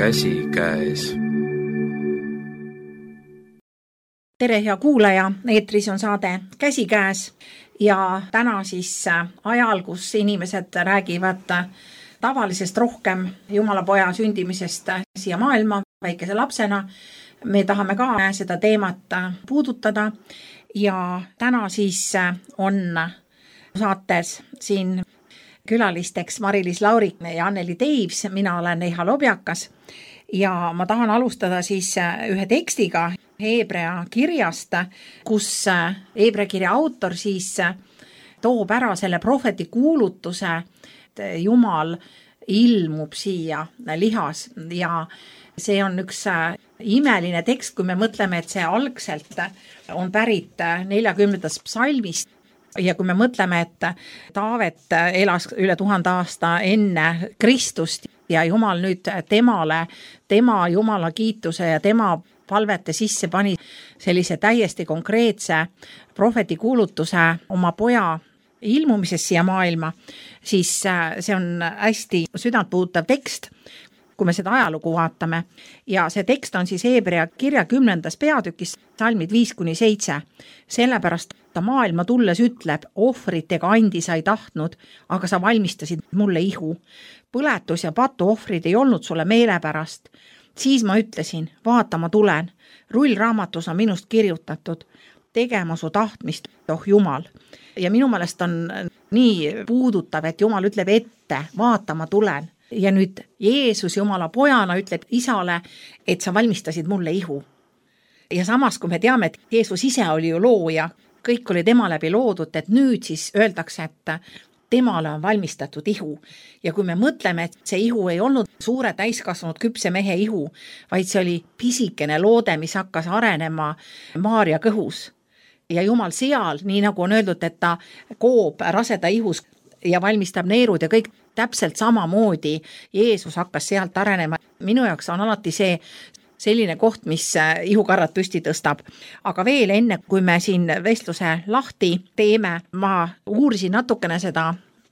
käsikäes. Tere, hea kuulaja, eetris on saade Käsikäes ja täna siis ajal, kus inimesed räägivad tavalisest rohkem Jumala poja sündimisest siia maailma väikese lapsena. Me tahame ka seda teemat puudutada ja täna siis on saates siin külalisteks Mari-Liis Laurik ja Anneli Teivs. Mina olen Neha Lobjakas ja ma tahan alustada siis ühe tekstiga Heebrea kirjast, kus Heebrea kirja autor siis toob ära selle prohveti kuulutuse, et Jumal ilmub siia lihas ja see on üks imeline tekst, kui me mõtleme, et see algselt on pärit 40. psalmist ja kui me mõtleme, et Taavet elas üle 1000 aasta enne Kristust ja Jumal nüüd temale, tema Jumala kiituse ja tema palvete sisse pani sellise täiesti konkreetse prohveti kuulutuse oma poja ilmumisest siia maailma, siis see on hästi südantpuudutav tekst, kui me seda ajalugu vaatame. Ja see tekst on siis Heebrea kirja 10. peatükis, psalmid 5-7. Sellepärast ta maailma tulles ütleb, ohvritega andi sa ei tahtnud, aga sa valmistasid mulle ihu. Põletus ja patuohvrid ei olnud sulle meelepärast. Siis ma ütlesin, vaata ma tulen, rullraamatus on minust kirjutatud, tegema su tahtmist, oh Jumal. Ja minu meelest on nii puudutav, et Jumal ütleb ette, vaata ma tulen. Ja nüüd Jeesus Jumala pojana ütleb isale, et sa valmistasid mulle ihu. Ja samas, kui me teame, et Jeesus ise oli ju looja, kõik oli tema läbi loodud, et nüüd siis öeldakse, et temale on valmistatud ihu. Ja kui me mõtleme, et see ihu ei olnud suure täiskasvanud küpse mehe ihu, vaid see oli pisikene loode, mis hakkas arenema Maarja kõhus. Ja Jumal seal, nii nagu on öeldud, et ta koob raseda ihus ja valmistab neerud ja kõik täpselt samamoodi, Jeesus hakkas sealt arenema. Minu jaoks on alati see selline koht, mis ihukarrad püsti tõstab. Aga veel enne, kui me siin vestluse lahti teeme, ma uurisin natukene seda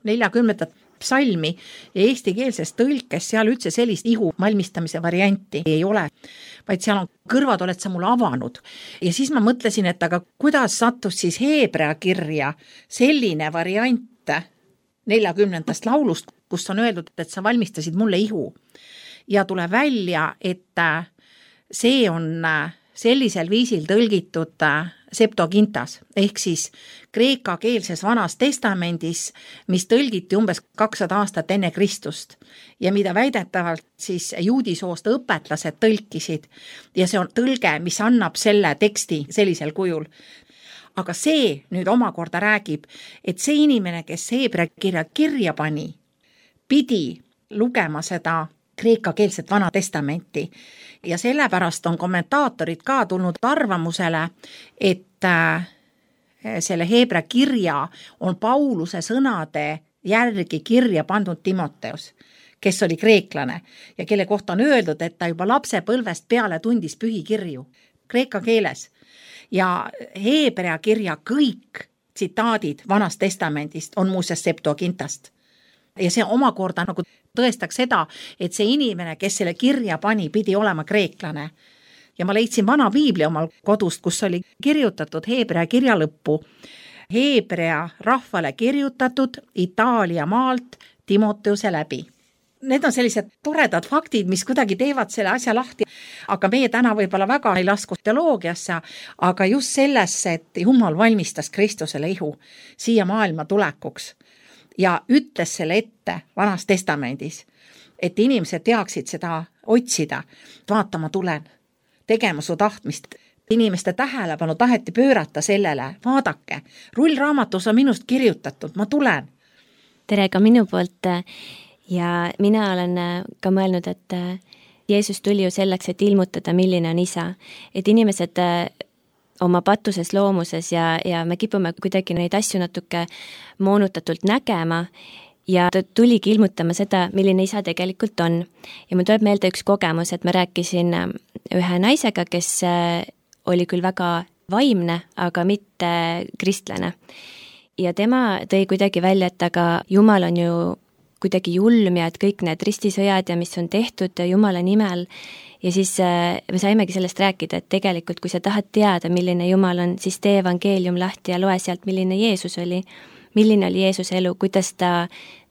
40. psalmi ja eestikeelses tõlkes seal üldse sellist ihu valmistamise varianti ei ole, vaid seal on kõrvad oled sa mulle avanud. Ja siis ma mõtlesin, et aga kuidas sattus siis Heebrea kirja selline variant 40. laulust, kus on öeldud, et sa valmistasid mulle ihu. Ja tuleb välja, et see on sellisel viisil tõlgitud Septuagintas, ehk siis kreekakeelses vanas testamendis, mis tõlgiti umbes 200 aastat enne Kristust ja mida väidetavalt siis juudisoost õpetlased tõlkisid ja see on tõlge, mis annab selle teksti sellisel kujul. Aga see nüüd omakorda räägib, et see inimene, kes Heebrea kirja pani, pidi lugema seda kreekakeelset vana testamenti ja sellepärast on kommentaatorid ka tulnud arvamusele, et selle Heebrea kirja on Pauluse sõnade järgi kirja pandud Timoteus, kes oli kreeklane ja kelle kohta on öeldud, et ta juba lapsepõlvest peale tundis pühikirju kreeka keeles. Ja Heebrea kirja kõik tsitaadid vanast testamendist on muuseas Septuagintast. Ja see omakorda nagu tõestaks seda, et see inimene, kes selle kirja pani, pidi olema kreeklane. Ja ma leidsin vana piibli omal kodust, kus oli kirjutatud Heebrea kirja lõppu. Heebrea rahvale kirjutatud Itaalia maalt Timoteuse läbi. Need on sellised toredad faktid, mis kuidagi teevad selle asja lahti, aga meie täna võib-olla väga ei lasku teoloogiasse, aga just sellesse, et Jumal valmistas Kristusele ihu siia maailma tulekuks ja ütles selle ette vanas testamendis, et inimesed teaksid seda otsida, vaatama tulen, tegema su tahtmist. Inimeste tähelepanu taheti pöörata sellele, vaadake, rullraamatus on minust kirjutatud, ma tulen. Tere ka minu poolt. Ja mina olen ka mõelnud, et Jeesus tuli ju selleks, et ilmutada, milline on isa. Et inimesed oma patuses loomuses ja me kipume kuidagi neid asju natuke moonutatult nägema ja ta tuligi ilmutama seda, milline isa tegelikult on. Ja mul tuleb meelde üks kogemus, et ma rääkisin ühe naisega, kes oli küll väga vaimne, aga mitte kristlane. Ja tema tõi kuidagi välja, et aga Jumal on ju kuidagi julm ja et kõik need ristisõjad ja mis on tehtud Jumala nimel. Ja siis me saimegi sellest rääkida, et tegelikult kui sa tahad teada, milline Jumal on, siis tee evangeelium lahti ja loe sealt, milline Jeesus oli. Milline oli Jeesuse elu, kuidas ta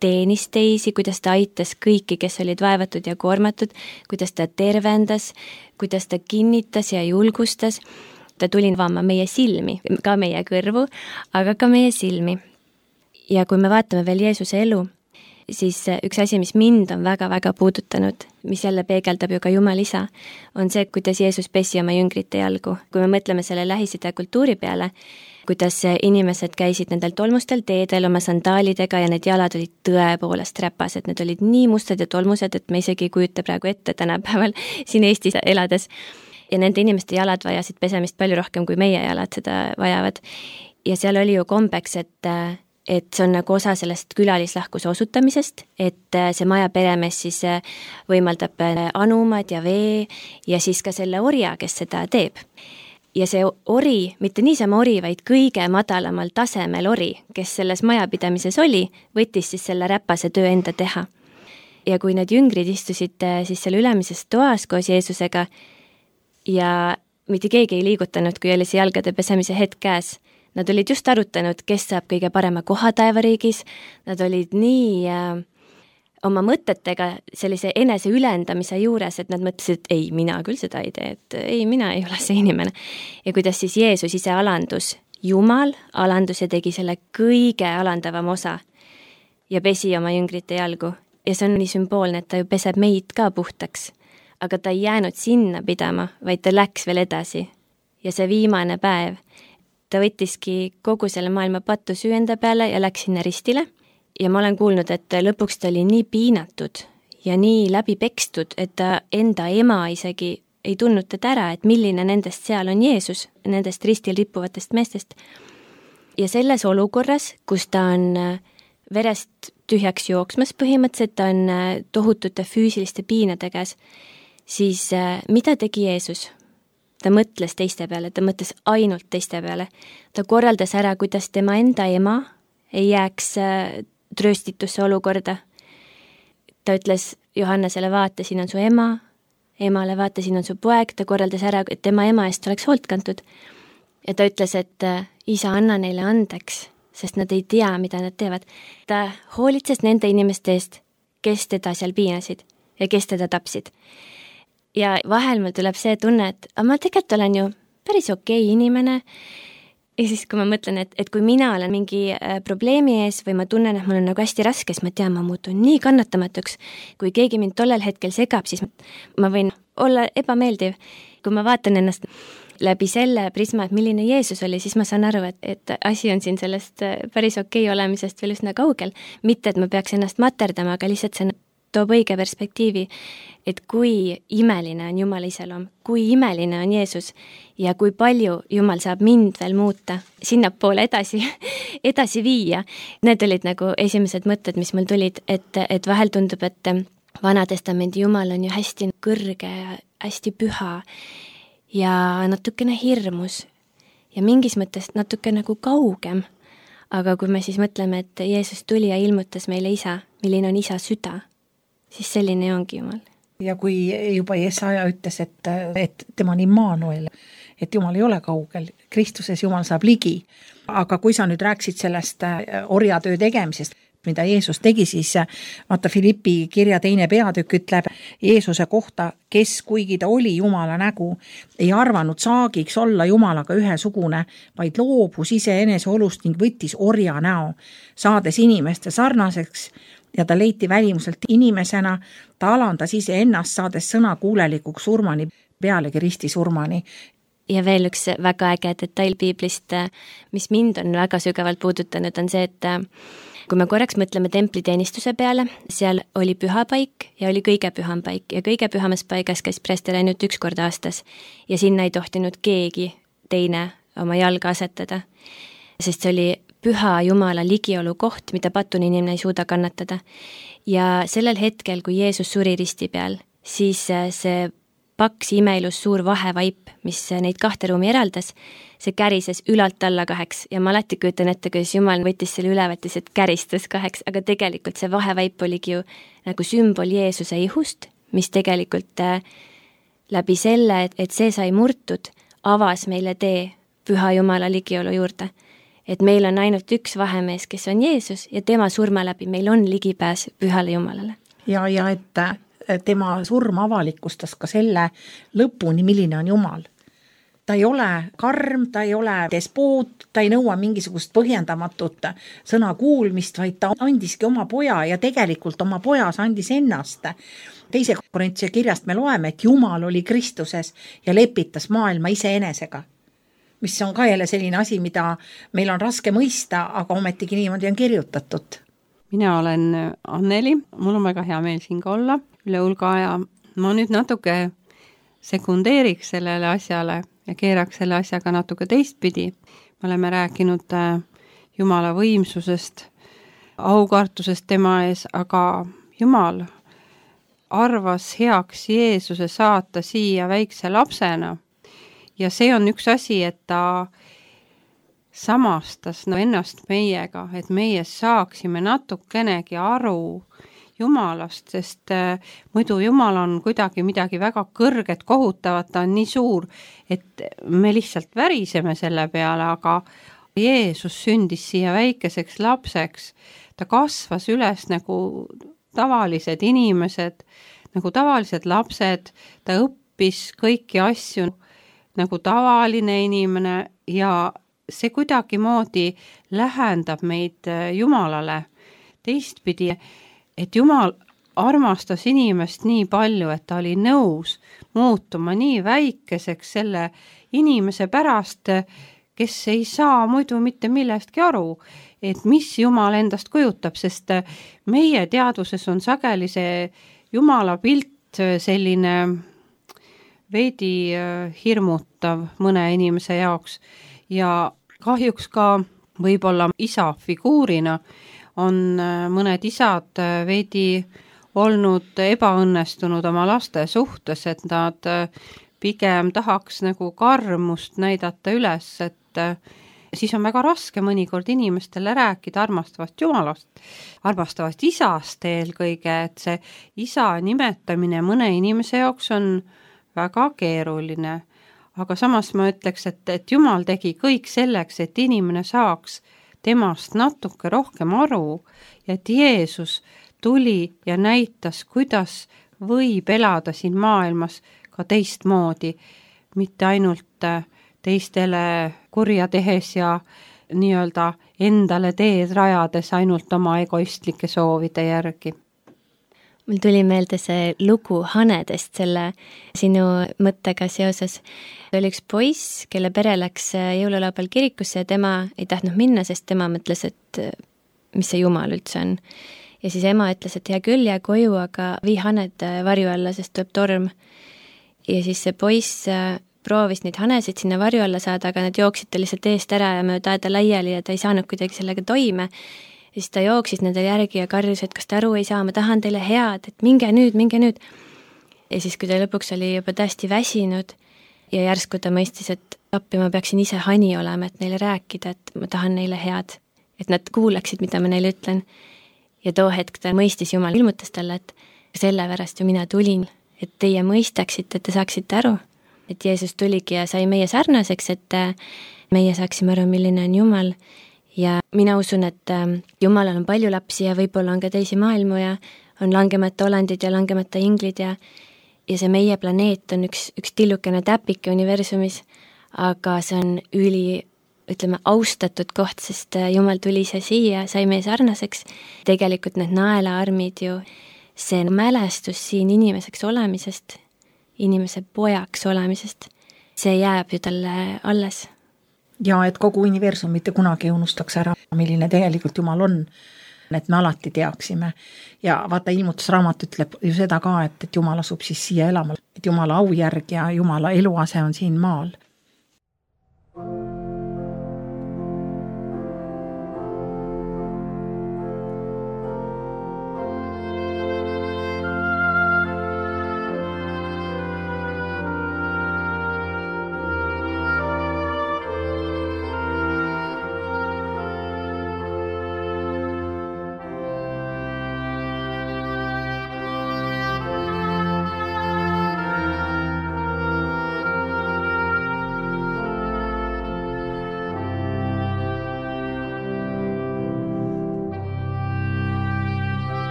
teenis teisi, kuidas ta aitas kõiki, kes olid vaevatud ja koormatud, kuidas ta tervendas, kuidas ta kinnitas ja julgustas. Ta tuli avama meie silmi, ka meie kõrvu, aga ka meie silmi. Ja kui me vaatame veel Jeesuse elu, siis üks asi, mis mind on väga-väga puudutanud, mis jälle peegeldab ju ka Jumal isa, on see, kuidas Jeesus pesi oma jüngrite jalgu. Kui me mõtleme selle Lähis-Ida kultuuri peale, kuidas inimesed käisid nendel tolmustel teedel oma sandaalidega ja need jalad olid tõepoolest räpased, need olid nii mustad ja tolmused, et me isegi ei kujuta praegu ette tänapäeval siin Eestis elades. Ja nende inimeste jalad vajasid pesemist palju rohkem, kui meie jalad seda vajavad. Ja seal oli ju kombeks, et see on nagu osa sellest külalislahkuse osutamisest, et see maja peremees siis võimaldab anumad ja vee ja siis ka selle orja, kes seda teeb. Ja see ori, mitte niisama ori, vaid kõige madalamal tasemel ori, kes selles majapidamises oli, võttis siis selle räpase töö enda teha. Ja kui need jüngrid istusid siis selle ülemises toas koos Jeesusega ja mitte keegi ei liigutanud, kui oli see jalgade pesemise hetk käes, nad olid just arutanud, kes saab kõige parema koha taevariigis, nad olid nii oma mõtetega sellise enese ülendamise juures, et nad mõtlesid, et ei, mina küll seda ei tee, et ei, mina ei ole see inimene. Ja kuidas siis Jeesus ise alandus, Jumal alandus ja tegi selle kõige alandavam osa ja pesi oma jüngrite jalgu. Ja see on nii sümboolne, et ta ju peseb meid ka puhtaks, aga ta ei jäänud sinna pidama, vaid ta läks veel edasi. Ja see viimane päev, ta võttiski kogu selle maailma pattu süü enda peale ja läks sinna ristile. Ja ma olen kuulnud, et lõpuks ta oli nii piinatud ja nii läbi pekstud, et ta enda ema isegi ei tundnud teda ära, et milline nendest seal on Jeesus, nendest ristil rippuvatest meestest. Ja selles olukorras, kus ta on verest tühjaks jooksmas põhimõtteliselt, ta on tohutute füüsiliste piinade käes, siis mida tegi Jeesus? Ta mõtles teiste peale, ta mõtles ainult teiste peale. Ta korraldas ära, kuidas tema enda ema ei jääks trööstitusse olukorda. Ta ütles Johannesele, vaata, siin on su ema, emale vaata, siin on su poeg, ta korraldas ära, et tema ema eest oleks hoolt kantud. Ja ta ütles, et isa, anna neile andeks, sest nad ei tea, mida nad teevad. Ta hoolitses nende inimeste eest, kes teda seal piinasid ja kes teda tapsid. Ja vahel mul tuleb see tunne, et ma tegelikult olen ju päris okei inimene. Ja siis, kui ma mõtlen, et kui mina olen mingi probleemi ees või ma tunnen, et mul on nagu hästi raske, siis ma tean, ma muutun nii kannatamatuks. Kui keegi mind tollel hetkel segab, siis ma võin olla ebameeldiv. Kui ma vaatan ennast läbi selle prisma, et milline Jeesus oli, siis ma saan aru, et asi on siin sellest päris okei olemisest veel üsna kaugel. Mitte, et ma peaks ennast materdama, aga lihtsalt see toob õige perspektiivi, et kui imeline on Jumala iseloom, kui imeline on Jeesus ja kui palju Jumal saab mind veel muuta, sinnapoole edasi viia. Need olid nagu esimesed mõtted, mis mul tulid, et vahel tundub, et Vana Testamendi Jumal on ju hästi kõrge, hästi püha ja natukene hirmus ja mingis mõttes natuke nagu kaugem. Aga kui me siis mõtleme, et Jeesus tuli ja ilmutas meile isa, milline on isa süda, siis selline ongi Jumal. Ja kui juba Jesaja ütles, et tema on Immanuel, et Jumal ei ole kaugel, Kristuses Jumal saab ligi. Aga kui sa nüüd rääksid sellest orjatöö tegemisest, mida Jeesus tegi, siis vaata Filippi kirja 2. peatükk ütleb Jeesuse kohta, kes kuigi ta oli Jumala nägu, ei arvanud saagiks olla Jumalaga ühesugune, vaid loobus iseenese olust ning võttis orja näo, saades inimeste sarnaseks ja ta leiti välimuselt inimesena, ta alandas ise ennast, saades sõna kuulelikuks surmani, pealegi ristisurmani. Ja veel üks väga äge detail piiblist, mis mind on väga sügavalt puudutanud, on see, et kui me korraks mõtleme templiteenistuse peale, seal oli pühapaik ja oli kõige püham paik ja kõige pühamas paigas käis preester ainult 1 kord aastas ja sinna ei tohtinud keegi teine oma jalga asetada, sest see oli püha Jumala ligiolu koht, mida patune inimene ei suuda kannatada. Ja sellel hetkel, kui Jeesus suri risti peal, siis see paks imeilus suur vahevaip, mis neid 2 ruumi eraldas, see kärises ülalt alla 2 ja ma alati kujutan ette, kuidas Jumal võttis selle ülevalt ja see käristas 2, aga tegelikult see vahevaip oligi ju nagu sümbol Jeesuse ihust, mis tegelikult läbi selle, et see sai murtud, avas meile tee Püha Jumala ligiolu juurde. Et meil on ainult üks vahemees, kes on Jeesus ja tema surma läbi meil on ligipääs Pühale Jumalale. Ja et tema surm avalikustas ka selle lõpuni, milline on Jumal. Ta ei ole karm, ta ei ole despoot, ta ei nõua mingisugust põhjendamatut sõna kuulmist, vaid ta andiski oma poja ja tegelikult oma pojas andis ennast. 2. Korintuse kirjast me loeme, et Jumal oli Kristuses ja lepitas maailma iseenesega. Mis on ka jälle selline asi, mida meil on raske mõista, aga ometigi niimoodi on kirjutatud. Mina olen Anneli, mul on väga hea meel siin ka olla üle hulga ja ma nüüd natuke sekundeeriks sellele asjale ja keeraks selle asjaga natuke teistpidi. Me oleme rääkinud Jumala võimsusest, aukartusest tema ees, aga Jumal arvas heaks Jeesuse saata siia väikse lapsena. Ja see on üks asi, et ta samastas ennast meiega, et meie saaksime natukenegi aru Jumalast, sest muidu Jumal on kuidagi midagi väga kõrget, kohutavat, ta on nii suur, et me lihtsalt väriseme selle peale, aga Jeesus sündis siia väikeseks lapseks, ta kasvas üles nagu tavalised inimesed, nagu tavalised lapsed, ta õppis kõiki asju nagu tavaline inimene ja see kuidagi moodi lähendab meid Jumalale. Teistpidi, et Jumal armastas inimest nii palju, et ta oli nõus muutuma nii väikeseks selle inimese pärast, kes ei saa muidu mitte millestki aru, et mis Jumal endast kujutab, sest meie teadvuses on sageli see Jumala pilt selline veidi hirmutav mõne inimese jaoks ja kahjuks ka võib-olla isa figuurina on mõned isad veidi olnud ebaõnnestunud oma laste suhtes, et nad pigem tahaks nagu karmust näidata üles, et siis on väga raske mõnikord inimestele rääkida armastavast Jumalast, armastavast isast eelkõige, et see isa nimetamine mõne inimese jaoks on väga keeruline, aga samas ma ütleks, et Jumal tegi kõik selleks, et inimene saaks temast natuke rohkem aru ja et Jeesus tuli ja näitas, kuidas võib elada siin maailmas ka teistmoodi, mitte ainult teistele kurja tehes ja nii-öelda endale teed rajades ainult oma egoistlike soovide järgi. Mul tuli meelde see lugu hanedest selle sinu mõttega seoses. Oli üks poiss, kelle pere läks jõululaupäeval kirikusse ja tema ei tahtnud minna, sest tema mõtles, et mis see Jumal üldse on. Ja siis ema ütles, et hea küll, jää koju, aga vii haned varju alla, sest tuleb torm. Ja siis see poiss proovis neid hanesid sinna varju alla saada, aga nad jooksid ta lihtsalt eest ära ja mööda aeda laiali ja ta ei saanud kuidagi sellega toime. Ja siis ta jooksis nendel järgi ja karjus, et kas ta aru ei saa, ma tahan teile head, et minge nüüd. Ja siis, kui ta lõpuks oli juba täiesti väsinud ja järsku ta mõistis, et appi ma peaksin ise hani olema, et neile rääkida, et ma tahan neile head, et nad kuulaksid, mida ma neile ütlen. Ja too hetk ta mõistis, Jumal ilmutas talle, et sellepärast ju mina tulin, et teie mõistaksite, et te saaksite aru. Et Jeesus tuligi ja sai meie sarnaseks, et meie saaksime aru, milline on Jumal. Ja mina usun, et Jumalal on palju lapsi ja võib-olla on ka teisi maailmu ja on langemata olendid ja langemata inglid ja see meie planeet on üks tillukene täpike universumis, aga see on austatud koht, sest Jumal tuli see siia, sai meie sarnaseks. Tegelikult need naelaarmid ju, see mälestus siin inimeseks olemisest, inimese pojaks olemisest, see jääb ju talle alles. Ja et kogu universum mitte kunagi unustaks ära, milline tegelikult Jumal on, et me alati teaksime. Ja vaata, ilmutusraamat ütleb ju seda ka, et Jumal asub siis siia elama, et Jumala aujärg ja Jumala eluase on siin maal.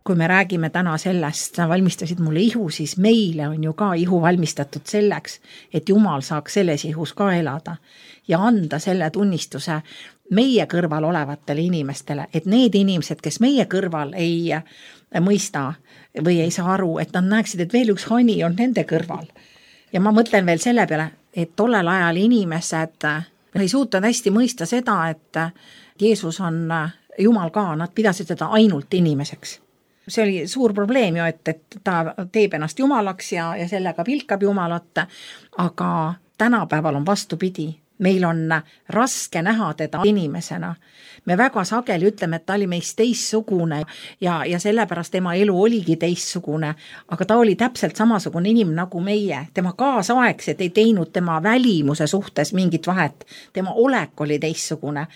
kui me räägime täna sellest, sa valmistasid mulle ihu, siis meile on ju ka ihu valmistatud selleks, et Jumal saaks selles ihus ka elada ja anda selle tunnistuse meie kõrval olevatele inimestele, et need inimesed, kes meie kõrval ei mõista või ei saa aru, et nad näeksid, et veel üks hani on nende kõrval. Ja ma mõtlen veel selle peale, et tollel ajal inimesed ei suutnud hästi mõista seda, et Jeesus on Jumal ka, nad pidasid seda ainult inimeseks. See oli suur probleem ju, et ta teeb ennast Jumalaks ja sellega pilkab Jumalat, aga tänapäeval on vastupidi. Meil on raske näha teda inimesena. Me väga sageli ütleme, et ta oli meist teistsugune ja sellepärast tema elu oligi teistsugune, aga ta oli täpselt samasugune inimene nagu meie. Tema kaasaegsed ei teinud tema välimuse suhtes mingit vahet. Tema olek oli teistsugune.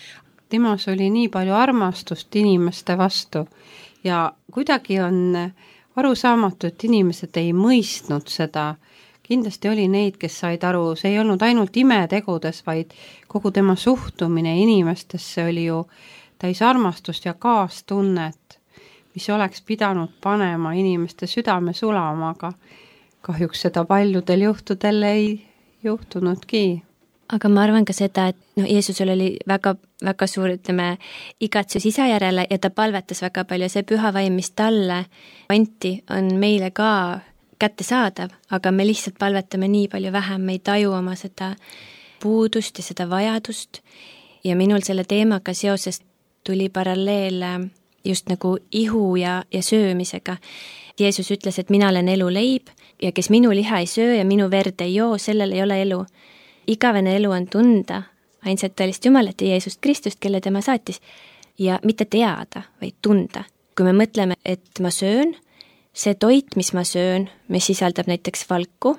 Temas oli nii palju armastust inimeste vastu ja kuidagi on arusaamatu, et inimesed ei mõistnud seda. Kindlasti oli neid, kes said aru, see ei olnud ainult imetegudes, vaid kogu tema suhtumine inimestesse oli ju täis armastust ja kaastunnet, mis oleks pidanud panema inimeste südame sulama, aga kahjuks seda paljudel juhtudel ei juhtunudki. Aga ma arvan ka seda, et Jeesusel oli väga, väga suur, igatsus isa järele ja ta palvetas väga palju. See püha vaim, mis talle anti, on meile ka kättesaadav, aga me lihtsalt palvetame nii palju vähem, me ei taju oma seda puudust ja seda vajadust. Ja minul selle teemaga seoses tuli paralleel just nagu ihu ja söömisega. Jeesus ütles, et mina olen elu leib ja kes minu liha ei söö ja minu verd ei joo, sellel ei ole elu. Igavene elu on tunda ainsat tõelist Jumalat ja Jeesust Kristust, kelle tema saatis, ja mitte teada, vaid tunda. Kui me mõtleme, et ma söön, see toit, mis ma söön, mis sisaldab näiteks valku,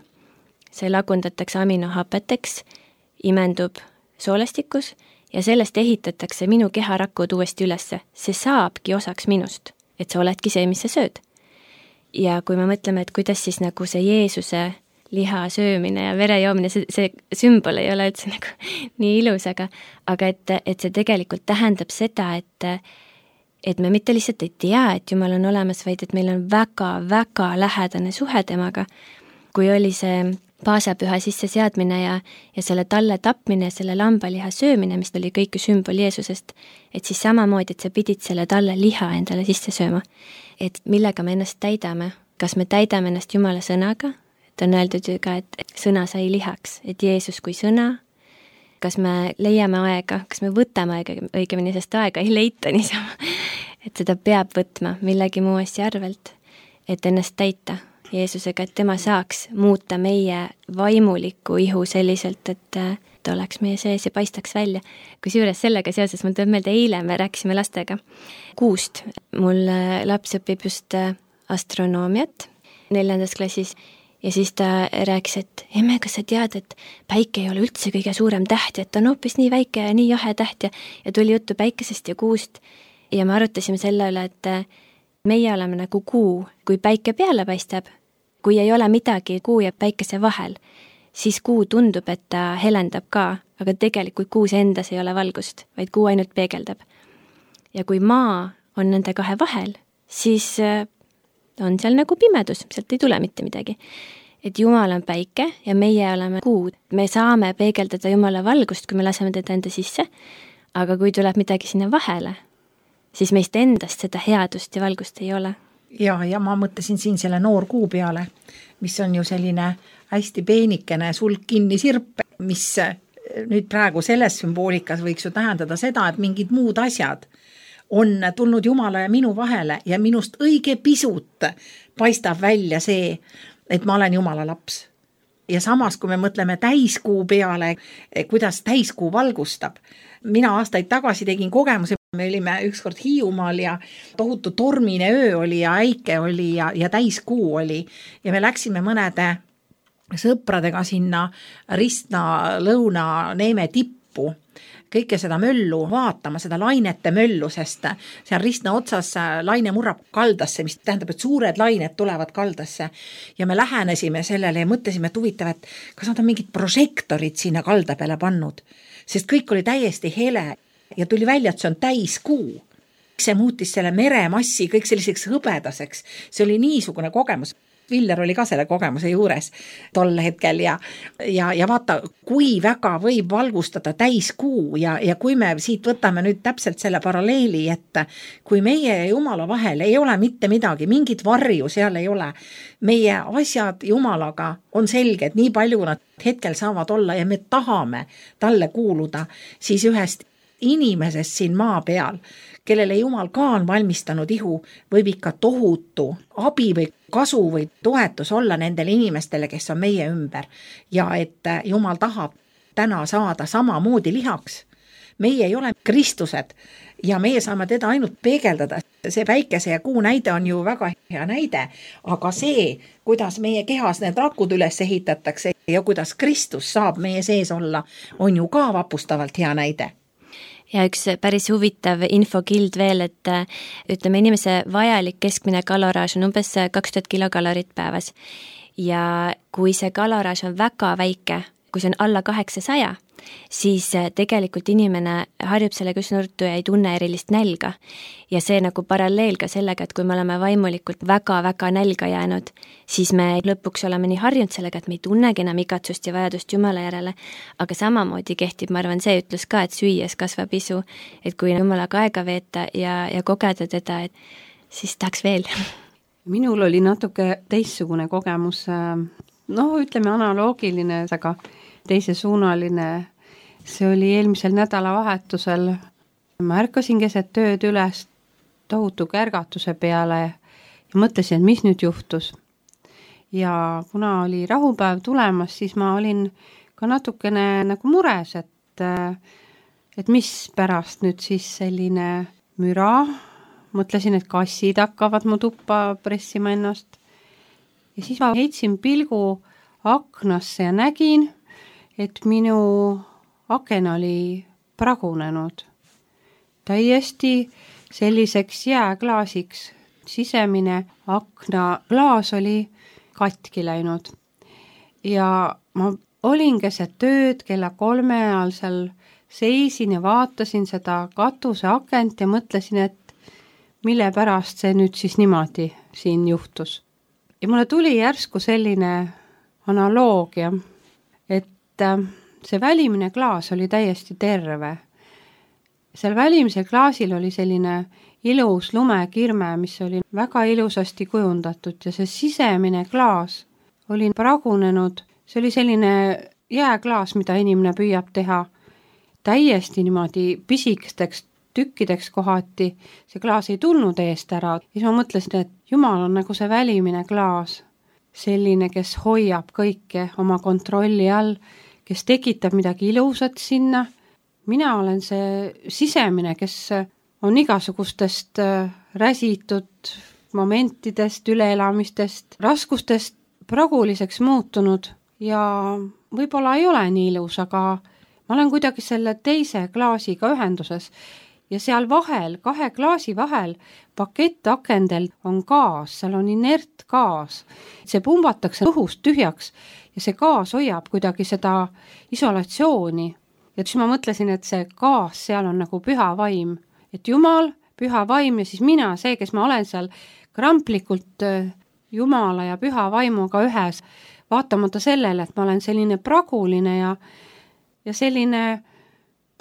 see lagundatakse aminohapeteks, imendub soolestikus ja sellest ehitatakse minu keharakud uuesti ülesse. See saabki osaks minust, et sa oledki see, mis sa sööd. Ja kui me mõtleme, et kuidas siis nagu see Jeesuse liha söömine ja vere joomine, see sümbol ei ole üldse nagu nii ilus, aga et see tegelikult tähendab seda, et me mitte lihtsalt ei tea, et Jumal on olemas, vaid et meil on väga-väga lähedane suhe temaga. Kui oli see paasapüha sisseseadmine ja selle talle tapmine ja selle lambaliha söömine, mis oli kõik sümbol Jeesusest, et siis samamoodi, et sa pidid selle talle liha endale sisse sööma. Et millega me ennast täidame? Kas me täidame ennast Jumala sõnaga? Et on öeldud ju ka, et sõna sai lihaks, et Jeesus kui sõna. Kas me leiame aega, kas me võtame aega, õigemini, sest aega ei leita niisama, et seda peab võtma millegi muu asja arvelt, et ennast täita Jeesusega, et tema saaks muuta meie vaimuliku ihu selliselt, et ta oleks meie sees ja paistaks välja. Kusjuures sellega seoses mul tuleb meelde, eile me rääkisime lastega kuust. Mul laps õpib just astronoomiat 4. klassis. Ja siis ta rääkis, et emme, kas sa tead, et päike ei ole üldse kõige suurem täht ja et ta on hoopis nii väike ja nii jahe täht ja tuli juttu päikesest ja kuust. Ja me arutasime selle üle, et meie oleme nagu kuu, kui päike peale paistab, kui ei ole midagi kuu ja päikese vahel, siis kuu tundub, et ta helendab ka, aga tegelikult kuus endas ei ole valgust, vaid kuu ainult peegeldab. Ja kui maa on nende kahe vahel, siis on seal nagu pimedus, sealt ei tule mitte midagi. Et Jumal on päike ja meie oleme kuu. Me saame peegeldada Jumala valgust, kui me laseme teda enda sisse, aga kui tuleb midagi sinna vahele, siis meist endast seda headust ja valgust ei ole. Ja ma mõtlesin siin selle noor kuu peale, mis on ju selline hästi peenikene sulk kinni sirp, mis nüüd praegu selles sümboolikas võiks ju tähendada seda, et mingid muud asjad on tulnud Jumala ja minu vahele ja minust õige pisut paistab välja see, et ma olen Jumala laps. Ja samas, kui me mõtleme täiskuu peale, kuidas täiskuu valgustab. Mina aastaid tagasi tegin kogemuse, me olime ükskord Hiiumaal ja tohutu tormine öö oli ja äike oli ja täiskuu oli. Ja me läksime mõnede sõpradega sinna Ristna lõuna Neeme tippu. Kõike seda möllu vaatama, seda lainete möllu, sest seal Ristna otsas laine murrab kaldasse, mis tähendab, et suured lained tulevad kaldasse. Ja me lähenesime sellele ja mõtlesime, et huvitav, et kas nad on mingid prožektorid sinna kalda peale pannud, sest kõik oli täiesti hele ja tuli välja, et see on täiskuu. see muutis selle meremassi kõik selliseks hõbedaseks. See oli niisugune kogemus. Viller oli ka selle kogemuse juures tol hetkel ja vaata, kui väga võib valgustada täiskuu ja kui me siit võtame nüüd täpselt selle paralleeli, et kui meie ja Jumala vahel ei ole mitte midagi, mingit varju seal ei ole, meie asjad Jumalaga on selged, nii palju nad hetkel saavad olla ja me tahame talle kuuluda, siis ühest inimesest siin maa peal, kellele Jumal ka on valmistanud ihu, võib ikka tohutu abi või kasu või toetus olla nendele inimestele, kes on meie ümber. Ja et Jumal tahab täna saada samamoodi lihaks. Meie ei ole Kristused ja meie saame teda ainult peegeldada. See päikese ja kuu näide on ju väga hea näide, aga see, kuidas meie kehas need rakud üles ehitatakse ja kuidas Kristus saab meie sees olla, on ju ka vapustavalt hea näide. Ja üks päris huvitav infokild veel, et ütleme, inimese vajalik keskmine kaloraaž on umbes 2000 kilokalorit päevas. Ja kui see kaloraaž on väga väike, kui see on alla 800, siis tegelikult inimene harjub sellega üsna nurtu ja ei tunne erilist nälga. Ja see nagu paralleel ka sellega, et kui me oleme vaimulikult väga-väga nälga jäänud, siis me lõpuks oleme nii harjunud sellega, et me ei tunnegi enam igatsust ja vajadust Jumala järele. Aga samamoodi kehtib, ma arvan, see ütlus ka, et süües kasvab isu, et kui Jumalaga aega veeta ja kogeda teda, et siis tahaks veel. Minul oli natuke teistsugune kogemus, ütleme analoogiline, aga teisesuunaline. See oli eelmisel nädalavahetusel. Ma ärkasin keset tööd üles tohutu kärgatuse peale ja mõtlesin, et mis nüüd juhtus. Ja kuna oli rahupäev tulemas, siis ma olin ka natukene nagu mures, et mis pärast nüüd siis selline müra. Mõtlesin, et kassid hakkavad mu tuppa pressima ennast. Ja siis ma heitsin pilgu aknasse ja nägin, et minu aken oli pragunenud. Täiesti selliseks jääklaasiks. Sisemine aknaklaas oli katki läinud. Ja ma olin keset tööd kella 3 ajal seal seisin ja vaatasin seda katuse akent ja mõtlesin, et mille pärast see nüüd siis niimoodi siin juhtus. Ja mulle tuli järsku selline analoogia, et see välimine klaas oli täiesti terve. Seal välimisel klaasil oli selline ilus lumekirme, mis oli väga ilusasti kujundatud ja see sisemine klaas oli pragunenud. See oli selline jääklaas, mida inimene püüab teha täiesti niimoodi pisikesteks tükkideks kohati. See klaas ei tulnud eest ära. Ja ma mõtlesin, et Jumal on nagu see välimine klaas. Selline, kes hoiab kõike oma kontrolli all, kes tekitab midagi ilusat sinna. Mina olen see sisemine, kes on igasugustest räsitud momentidest, üleelamistest, raskustest praguliseks muutunud ja võib-olla ei ole nii ilus, aga ma olen kuidagi selle teise klaasiga ühenduses ja seal vahel, 2 klaasi vahel pakettakendel on gaas, seal on inert gaas. See pumbatakse õhust tühjaks ja see gaas hoiab kuidagi seda isolatsiooni. Ja siis ma mõtlesin, et see gaas seal on nagu püha vaim, et Jumal, püha vaim ja siis mina, see, kes ma olen seal kramplikult Jumala ja püha vaimuga ühes, vaatamata sellele, et ma olen selline praguline ja selline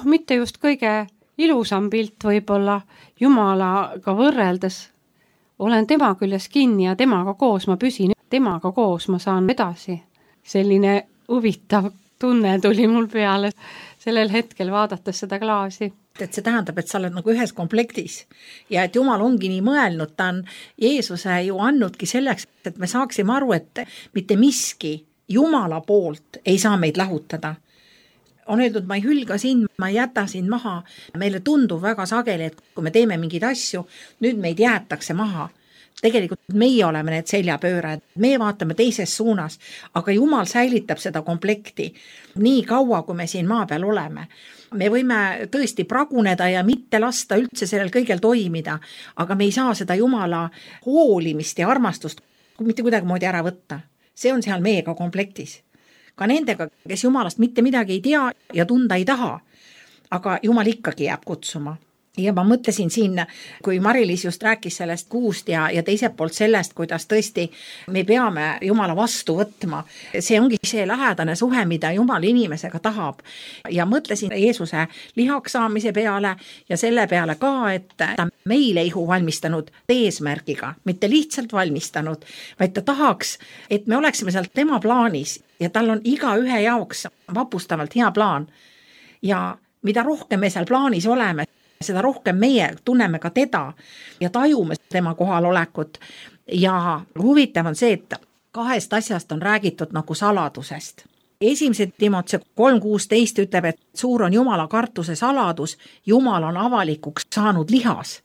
mitte just kõige ilusam pilt võib-olla Jumalaga võrreldes. Olen tema küljes kinni ja temaga koos ma püsin, temaga koos ma saan edasi. Selline huvitav tunne tuli mul peale sellel hetkel vaadates seda klaasi. Et see tähendab, et sa oled nagu ühes komplektis ja et Jumal ongi nii mõelnud, ta on Jeesuse ju annudki selleks, et me saaksime aru, et mitte miski Jumala poolt ei saa meid lahutada. On öeldud, ma ei hülga sind, ma ei jäta sind maha. Meile tundub väga sageli, et kui me teeme mingeid asju, nüüd meid jäetakse maha. Tegelikult meie oleme need seljapöörad, me vaatame teises suunas, aga Jumal säilitab seda komplekti nii kaua, kui me siin maa peal oleme. Me võime tõesti praguneda ja mitte lasta üldse sellel kõigel toimida, aga me ei saa seda Jumala hoolimist ja armastust mitte kuidagi moodi ära võtta. See on seal meiega komplektis. Ka nendega, kes Jumalast mitte midagi ei tea ja tunda ei taha, aga Jumal ikkagi jääb kutsuma. Ja ma mõtlesin siin, kui Mari-Liis just rääkis sellest kuust ja teiselt poolt sellest, kuidas tõesti me peame Jumala vastu võtma. See ongi see lähedane suhe, mida Jumal inimesega tahab. Ja mõtlesin Jeesuse lihaks saamise peale ja selle peale ka, et ta meile ihu valmistanud eesmärgiga, mitte lihtsalt valmistanud, vaid ta tahaks, et me oleksime sealt tema plaanis ja tal on iga ühe jaoks vapustavalt hea plaan. Ja mida rohkem me seal plaanis oleme, seda rohkem meie tunneme ka teda ja tajume tema kohalolekut. Ja huvitav on see, et kahest asjast on räägitud nagu saladusest. 1. Timoteuse 3:16 ütleb, et suur on Jumala kartuse saladus, Jumal on avalikuks saanud lihas.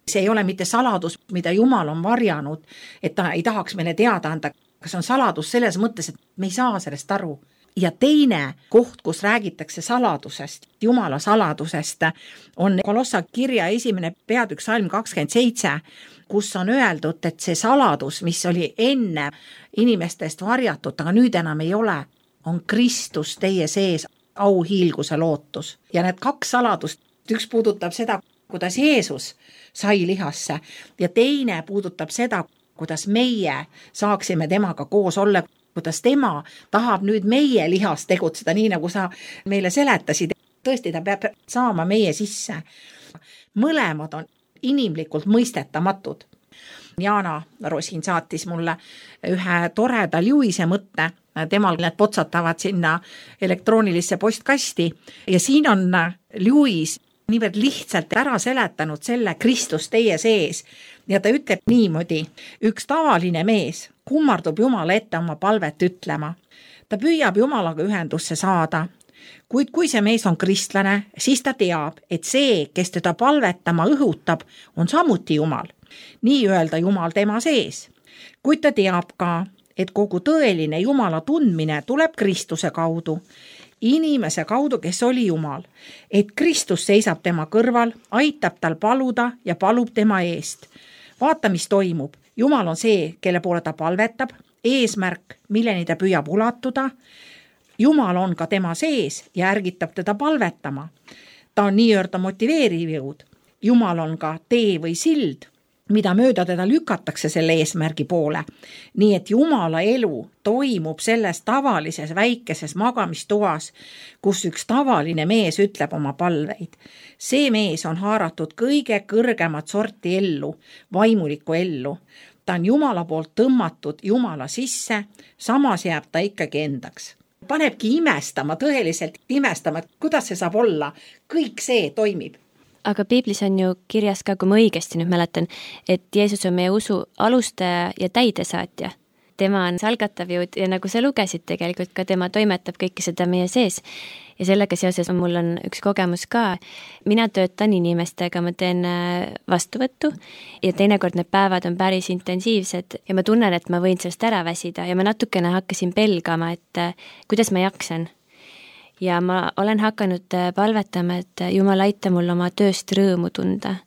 See ei ole mitte saladus, mida Jumal on varjanud, et ta ei tahaks meile teada anda, kas on saladus selles mõttes, et me ei saa sellest aru. Ja teine koht, kus räägitakse saladusest, Jumala saladusest, on Kolossa kirja 1. peatükk salm 27, kus on öeldud, et see saladus, mis oli enne inimestest varjatud, aga nüüd enam ei ole, on Kristus teie sees, auhiilguse lootus. Ja need kaks saladust, üks puudutab seda, kuidas Jeesus sai lihasse ja teine puudutab seda, kuidas meie saaksime temaga koos olla, kuidas tema tahab nüüd meie lihas tegutseda, nii nagu sa meile seletasid. Tõesti, ta peab saama meie sisse. Mõlemad on inimlikult mõistetamatud. Jana Rosin saatis mulle ühe toreda Lewis'e mõtte. Temal need potsatavad sinna elektroonilisse postkasti ja siin on Lewis niivõrd lihtsalt ära seletanud selle Kristus teie sees. Ja ta ütleb niimoodi, üks tavaline mees kummardub Jumala ette oma palvet ütlema. Ta püüab Jumalaga ühendusse saada, kuid kui see mees on kristlane, siis ta teab, et see, kes teda palvetama õhutab, on samuti Jumal. Nii öelda Jumal tema sees. Kuid ta teab ka, et kogu tõeline Jumala tundmine tuleb Kristuse kaudu, inimese kaudu, kes oli Jumal, et Kristus seisab tema kõrval, aitab tal paluda ja palub tema eest. Vaata, mis toimub. Jumal on see, kelle poole ta palvetab, eesmärk, milleni ta püüab ulatuda. Jumal on ka tema sees ja ärgitab teda palvetama. Ta on nii-öelda motiveeriv jõud. Jumal on ka tee või sild, mida mööda teda lükatakse selle eesmärgi poole. Nii et Jumala elu toimub selles tavalises väikeses magamistoas, kus üks tavaline mees ütleb oma palveid. See mees on haaratud kõige kõrgemat sorti ellu, vaimulikku ellu. Ta on Jumala poolt tõmmatud Jumala sisse, samas jääb ta ikkagi endaks. Panebki imestama, tõeliselt imestama, et kuidas see saab olla. Kõik see toimib. Aga piiblis on ju kirjas ka, kui ma õigesti nüüd mäletan, et Jeesus on meie usu alustaja ja täidesaatja. Tema on algatav jõud ja nagu sa lugesid tegelikult ka, tema toimetab kõike seda meie sees. Ja sellega seoses mul on üks kogemus ka. Mina töötan inimestega, ma teen vastuvõttu ja teinekord need päevad on päris intensiivsed ja ma tunnen, et ma võin sellest ära väsida ja ma natukene hakkasin pelgama, et kuidas ma jaksan. Ja ma olen hakanud palvetama, et Jumal aita mul oma tööst rõõmu tunda.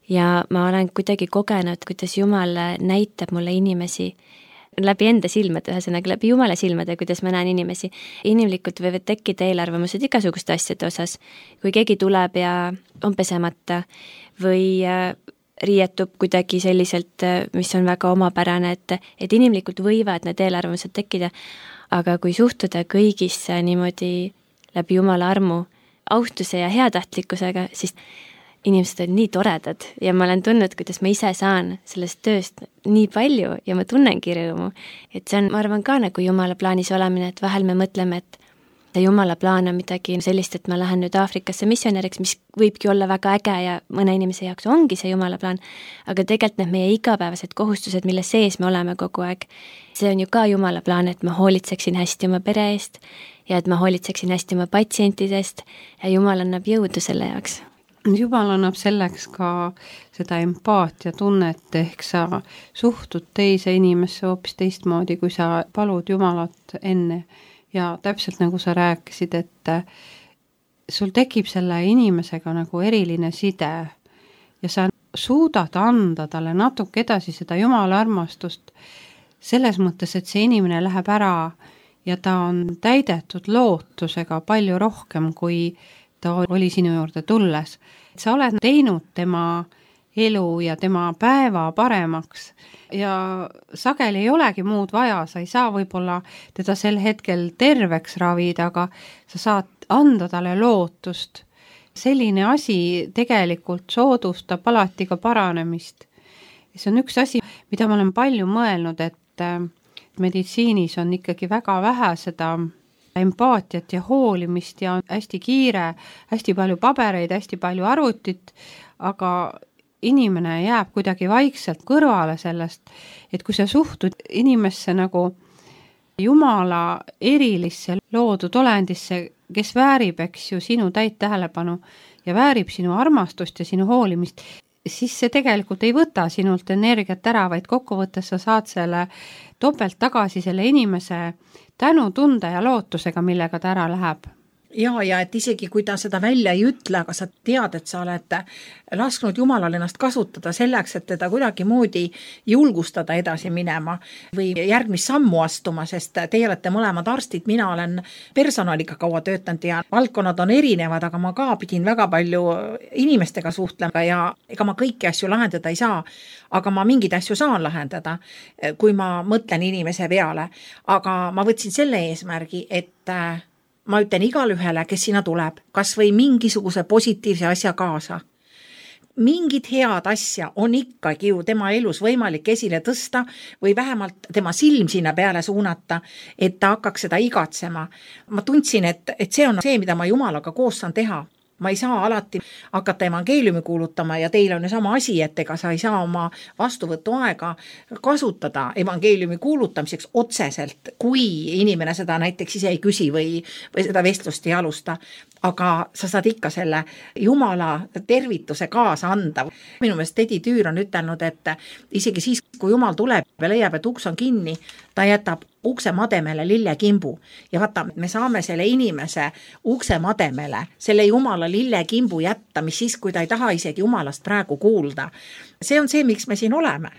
Ja ma olen kuidagi kogenud, kuidas Jumal näitab mulle inimesi läbi enda silmade, ühesõnaga läbi Jumala silmade, kuidas ma näen inimesi. Inimlikult võivad tekkida eelarvamused igasuguste asjade osas. Kui keegi tuleb ja on pesemata või riietub kuidagi selliselt, mis on väga omapärane, et inimlikult võivad need eelarvamused tekkida. Aga kui suhtuda kõigisse niimoodi läbi Jumala armu, austuse ja heatahtlikkusega, siis inimesed on nii toredad ja ma olen tundnud, kuidas ma ise saan sellest tööst nii palju ja ma tunnengi rõõmu. Et see on, ma arvan ka nagu Jumala plaanis olemine, et vahel me mõtleme, et Jumala plaan on midagi sellist, et ma lähen nüüd Aafrikasse missionäriks, mis võibki olla väga äge ja mõne inimese jaoks ongi see Jumala plaan, aga tegelikult need meie igapäevased kohustused, mille sees me oleme kogu aeg, see on ju ka Jumala plaan, et ma hoolitseksin hästi oma pere eest ja et ma hoolitseksin hästi oma patsientidest ja Jumal annab jõudu selle jaoks. Jumal annab selleks ka seda empaatia tunnet, ehk sa suhtud teise inimesse hoopis teistmoodi, kui sa palud Jumalat enne. Ja täpselt nagu sa rääkisid, et sul tekib selle inimesega nagu eriline side ja sa suudad anda talle natuke edasi seda Jumala armastust selles mõttes, et see inimene läheb ära ja ta on täidetud lootusega palju rohkem, kui ta oli sinu juurde tulles. Sa oled teinud tema elu ja tema päeva paremaks ja sageli ei olegi muud vaja, sa ei saa võib-olla teda sel hetkel terveks ravida, aga sa saad anda talle lootust. Selline asi tegelikult soodustab alati ka paranemist. Ja see on üks asi, mida ma olen palju mõelnud, et meditsiinis on ikkagi väga vähe seda empaatiat ja hoolimist ja hästi kiire, hästi palju pabereid, hästi palju arvutit, aga inimene jääb kuidagi vaikselt kõrvale sellest, et kui sa suhtud inimesse nagu Jumala erilisse loodud olendisse, kes väärib, eks ju, sinu täit tähelepanu ja väärib sinu armastust ja sinu hoolimist, siis see tegelikult ei võta sinult energiat ära, vaid kokkuvõttes sa saad selle topelt tagasi selle inimese tänutunde ja lootusega, millega ta ära läheb. Ja et isegi kui ta seda välja ei ütle, aga sa tead, et sa oled lasknud Jumalal ennast kasutada selleks, et teda kuidagi moodi julgustada edasi minema või järgmist sammu astuma, sest teie olete mõlemad arstid, mina olen personaliga kaua töötanud ja valdkonnad on erinevad, aga ma ka pidin väga palju inimestega suhtlema ja ega ma kõiki asju lahendada ei saa, aga ma mingeid asju saan lahendada, kui ma mõtlen inimese peale. Aga ma võtsin selle eesmärgi, et ma ütlen igale ühele, kes sinna tuleb, kas või mingisuguse positiivse asja kaasa. Mingid head asja on ikkagi ju tema elus võimalik esile tõsta või vähemalt tema silm sinna peale suunata, et ta hakkaks seda igatsema. Ma tundsin, et see on see, mida ma Jumalaga koos saan teha. Ma ei saa alati hakata evangeeliumi kuulutama ja teil on ju sama asi, et ega sa ei saa oma vastuvõtu aega kasutada evangeeliumi kuulutamiseks otseselt, kui inimene seda näiteks ise ei küsi või seda vestlust ei alusta. Aga sa saad ikka selle Jumala tervituse kaasa anda. Minu meelest Tedi Tüür on ütelnud, et isegi siis, kui Jumal tuleb ja leiab, et uks on kinni, ta jätab ukse mademele lillekimbu. Ja vaata, me saame selle inimese ukse mademele, selle Jumala lillekimbu jätta, mis siis, kui ta ei taha isegi Jumalast praegu kuulda. See on see, miks me siin oleme.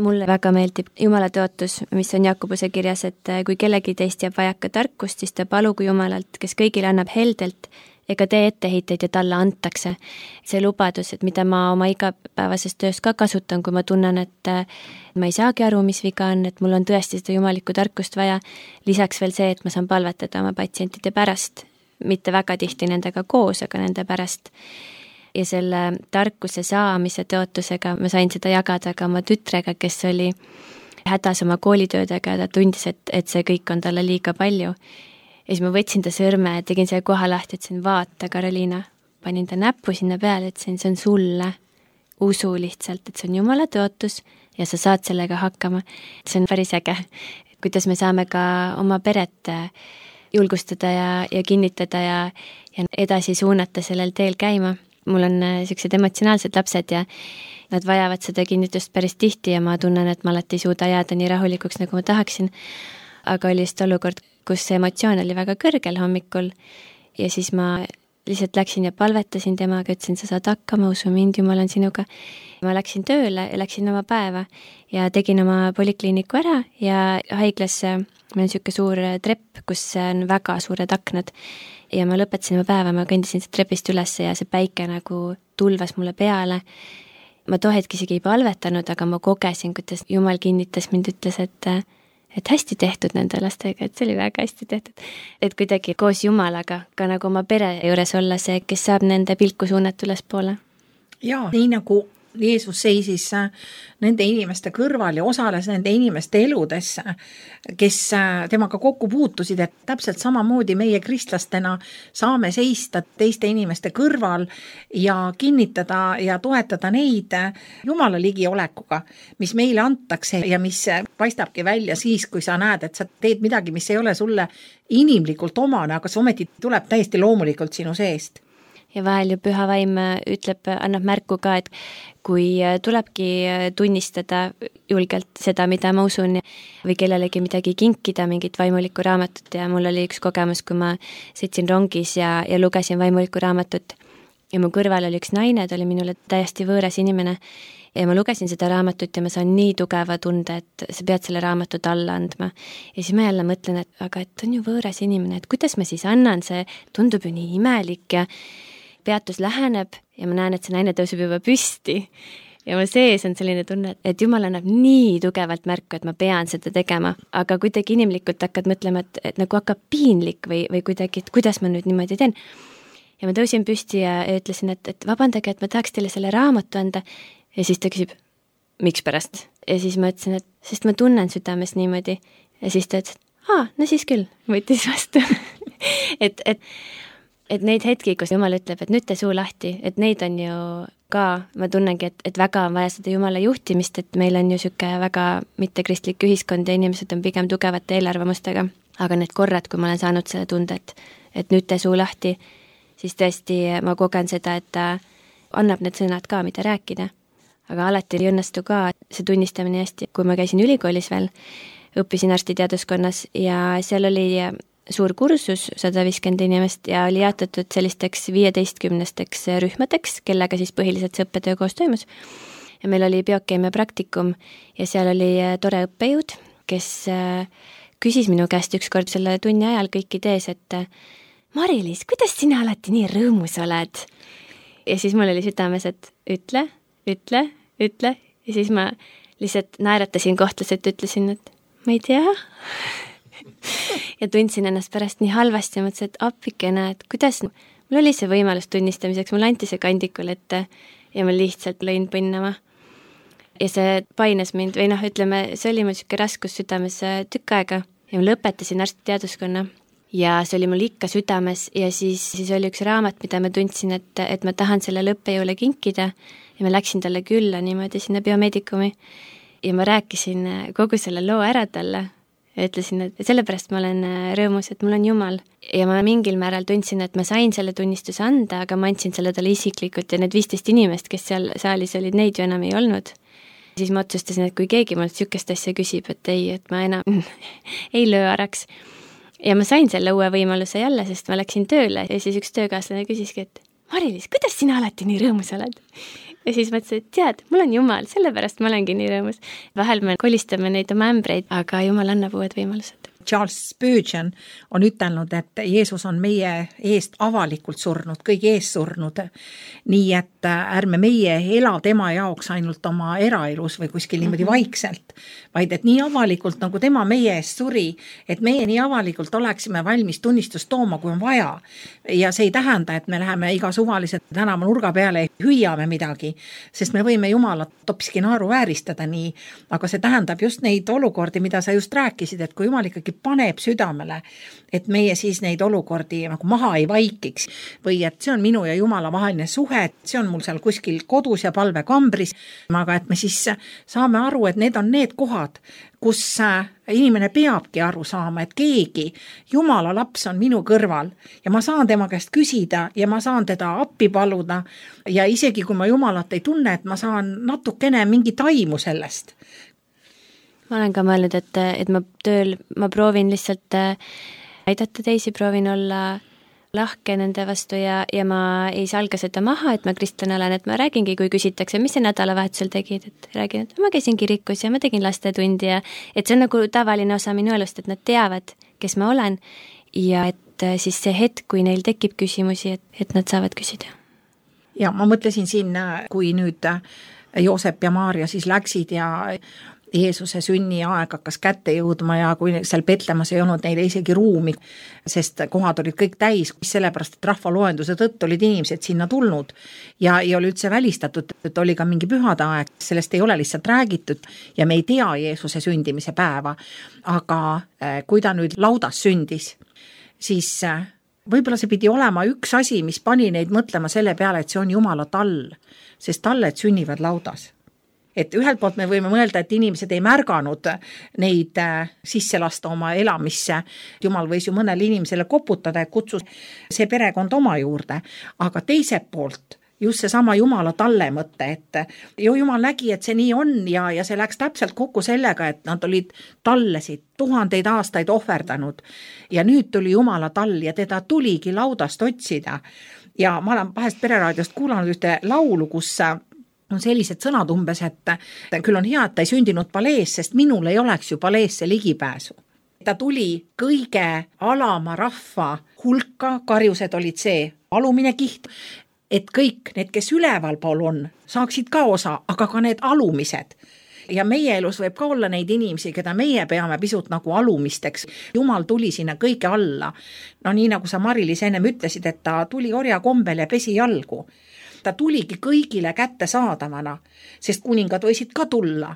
mulle väga meeldib Jumala tõotus, mis on Jakobuse kirjas, et kui kellegi teist jääb vajaka tarkust, siis ta palugu Jumalalt, kes kõigile annab heldelt, ega tee etteheiteid ja talle antakse. See lubadus, et mida ma oma igapäevases töös ka kasutan, kui ma tunnen, et ma ei saagi aru, mis viga on, et mul on tõesti seda jumalikku tarkust vaja. Lisaks veel see, et ma saan palvetada oma patsientide pärast, mitte väga tihti nendega koos, aga nende pärast. Ja selle tarkuse saamise tõotusega ma sain seda jagada ka oma tütrega, kes oli hädas oma koolitöödega ja ta tundis, et see kõik on talle liiga palju. Ja siis ma võtsin ta sõrme ja tegin selle koha lahti, ütlesin, vaata, Karoliina, panin ta näppu sinna peale, ütlesin, see on sulle, usu lihtsalt, et see on Jumala tõotus ja sa saad sellega hakkama. See on päris äge, kuidas me saame ka oma peret julgustada ja kinnitada ja edasi suunata sellel teel käima. Mul on sellised emotsionaalsed lapsed ja nad vajavad seda kinnitust päris tihti ja ma tunnen, et ma alati ei suuda jääda nii rahulikuks, nagu ma tahaksin. Aga oli just olukord, kus see emotsioon oli väga kõrgel hommikul ja siis ma lihtsalt läksin ja palvetasin temaga, ütlesin, sa saad hakkama, usu mind, Jumal on sinuga. Ma läksin tööle ja läksin oma päeva ja tegin oma polikliiniku ära ja haiglasse, meil on niisugune suur trepp, kus on väga suured aknad ja ma lõpetasin oma päeva, ma kõndisin see trepist üles ja see päike nagu tulvas mulle peale. Ma too hetk isegi ei palvetanud, aga ma kogesin, kuidas Jumal kinnitas mind, ütles, et hästi tehtud nende lastega, et see oli väga hästi tehtud. Et kuidagi koos Jumalaga ka nagu oma pere juures olla see, kes saab nende pilku suunata ülespoole. Jaa, nii nagu Jeesus seisis nende inimeste kõrval ja osales nende inimeste eludes, kes temaga kokku puutusid, et täpselt samamoodi meie kristlastena saame seista teiste inimeste kõrval ja kinnitada ja toetada neid Jumala ligiolekuga, mis meile antakse ja mis paistabki välja siis, kui sa näed, et sa teed midagi, mis ei ole sulle inimlikult omane, aga see ometi tuleb täiesti loomulikult sinu seest. Ja vahel ju Püha Vaim ütleb, annab märku ka, et kui tulebki tunnistada julgelt seda, mida ma usun või kellelegi midagi kinkida, mingit vaimulikku raamatut ja mul oli üks kogemus, kui ma sõitsin rongis ja lugesin vaimulikku raamatut ja mu kõrval oli üks naine, ta oli minule täiesti võõras inimene ja ma lugesin seda raamatut ja ma saan nii tugeva tunde, et sa pead selle raamatut alla andma. Ja siis ma jälle mõtlen, et on ju võõras inimene, et kuidas ma siis annan, see tundub ju nii imelik ja peatus läheneb ja ma näen, et see naine tõuseb juba püsti ja ma sees on selline tunne, et Jumal annab nii tugevalt märku, et ma pean seda tegema, aga kuidagi inimlikult hakkad mõtlema, et nagu hakkab piinlik või kuidagi, et kuidas ma nüüd niimoodi teen. Ja ma tõusin püsti ja ütlesin, et vabandage, et ma tahaks teile selle raamatu anda ja siis ta küsib, miks pärast? Ja siis ma ütlesin, et sest ma tunnen südames niimoodi ja siis ta ütles, no siis küll, võttis vastu et neid hetki, kus Jumal ütleb, et nüüd te suu lahti, et neid on ju ka, ma tunnengi, et väga on vaja seda Jumala juhtimist, et meil on ju siuke väga mittekristlik ühiskond ja inimesed on pigem tugevate eelarvamustega. Aga need korrad, kui ma olen saanud selle tunde, et nüüd te suu lahti, siis tõesti ma kogen seda, et ta annab need sõnad ka, mida rääkida. Aga alati ei õnnestu ka see tunnistamine hästi. Kui ma käisin ülikoolis veel, õppisin arstiteaduskonnas ja seal oli suur kursus, 150 inimest ja oli jaotatud sellisteks 15-steks rühmadeks, kellega siis põhiliselt see õppetöö koos toimus. Ja meil oli biokeemia praktikum ja seal oli tore õppejõud, kes küsis minu käest ükskord selle tunni ajal kõikide ees, et Mari-Liis, kuidas sina alati nii rõõmus oled? Ja siis mul oli südames, et ütle ja siis ma lihtsalt naeratasin kohtlaselt, ütlesin, et ma ei tea ja tundsin ennast pärast nii halvasti ja mõtlesin, et appikene, et kuidas mul oli see võimalus tunnistamiseks, mul anti see kandikul ette ja ma lihtsalt lõin põnnama. Ja see paines mind või ütleme, see oli mul siuke raskus südames tükk aega ja ma lõpetasin arstiteaduskonna ja see oli mul ikka südames ja siis oli üks raamat, mida ma tundsin, et ma tahan selle õppejõule kinkida ja ma läksin talle külla niimoodi sinna biomeedikumi ja ma rääkisin kogu selle loo ära talle ja ütlesin, et sellepärast ma olen rõõmus, et mul on Jumal. Ja ma mingil määral tundsin, et ma sain selle tunnistuse anda, aga ma andsin selle talle isiklikult ja need 15 inimest, kes seal saalis olid, neid ju enam ei olnud. Siis ma otsustasin, et kui keegi mult sükest asja küsib, et ei, et ma enam ei löö araks. Ja ma sain selle uue võimaluse jälle, sest ma läksin tööle ja siis üks töökaaslane küsiski, et Mari-Liis, kuidas sina alati nii rõõmus oled? ja siis mõtlesin, et tead, mul on Jumal, sellepärast ma olengi nii rõõmus. Vahel me kolistame neid oma ämbreid, aga Jumal annab uued võimalused. Charles Spurgeon on ütelnud, et Jeesus on meie eest avalikult surnud, kõigi eest surnud. Nii et ärme meie ela tema jaoks ainult oma eraelus või kuskil niimoodi vaikselt, vaid et nii avalikult, nagu tema meie eest suri, et meie nii avalikult oleksime valmis tunnistust tooma, kui on vaja. Ja see ei tähenda, et me läheme iga suvaliselt tänava nurga peale ja hüüame midagi, sest me võime Jumalat hoopiski naeruvääristada nii, aga see tähendab just neid olukordi, mida sa just rääkisid, et kui Jumal ikkagi paneb südamele, et meie siis neid olukordi nagu maha ei vaikiks või et see on minu ja Jumala vaheline suhe, et see on mul seal kuskil kodus ja palvekambris, aga et me siis saame aru, et need on need kohad, kus inimene peabki aru saama, et keegi, Jumala laps on minu kõrval ja ma saan tema käest küsida ja ma saan teda appi paluda ja isegi kui ma Jumalat ei tunne, et ma saan natukene mingit aimu sellest. Ma olen ka mõelnud, et ma tööl, ma proovin lihtsalt aidata teisi, proovin olla lahke nende vastu ja ma ei salga seda maha, et ma kristlane olen, et ma räägingi, kui küsitakse, mis see nädalavahetusel tegid, et räägin, et ma käisin kirikus ja ma tegin lastetundi ja et see on nagu tavaline osa minu elust, et nad teavad, kes ma olen ja et siis see hetk, kui neil tekib küsimusi, et nad saavad küsida. Ja ma mõtlesin siin, kui nüüd Joosep ja Maarja siis läksid ja Jeesuse sünniaeg hakkas kätte jõudma ja kui seal Petlemas ei olnud neile isegi ruumi, sest kohad olid kõik täis, sellepärast, et rahvaloenduse tõttu olid inimesed sinna tulnud ja ei ole üldse välistatud, et oli ka mingi pühade aeg, sellest ei ole lihtsalt räägitud ja me ei tea Jeesuse sündimise päeva, aga kui ta nüüd laudas sündis, siis võib-olla see pidi olema üks asi, mis pani neid mõtlema selle peale, et see on Jumala tall, sest talled sünnivad laudas. Et ühelt poolt me võime mõelda, et inimesed ei märganud neid sisse lasta oma elamisse. Jumal võis ju mõnele inimesele koputada ja kutsus see perekond oma juurde. Aga teiselt poolt just seesama Jumala talle mõtte, et Jumal nägi, et see nii on ja see läks täpselt kokku sellega, et nad olid tallesid 1000 aastaid ohverdanud. Ja nüüd tuli Jumala tall ja teda tuligi laudast otsida. Ja ma olen vahest Pereraadiost kuulanud ühte laulu, kus on sellised sõnad umbes, et küll on hea, et ta ei sündinud palees, sest minul ei oleks ju paleesse ligipääsu. Ta tuli kõige alama rahva hulka, karjused olid see alumine kiht, et kõik need, kes ülevalpool on, saaksid ka osa, aga ka need alumised. Ja meie elus võib ka olla neid inimesi, keda meie peame pisut nagu alumisteks. Jumal tuli sinna kõige alla. No nii nagu sa Mari-Liis ennem ütlesid, et ta tuli orja kombel ja pesi jalgu. Ta tuligi kõigile kätte saadavana, sest kuningad võisid ka tulla.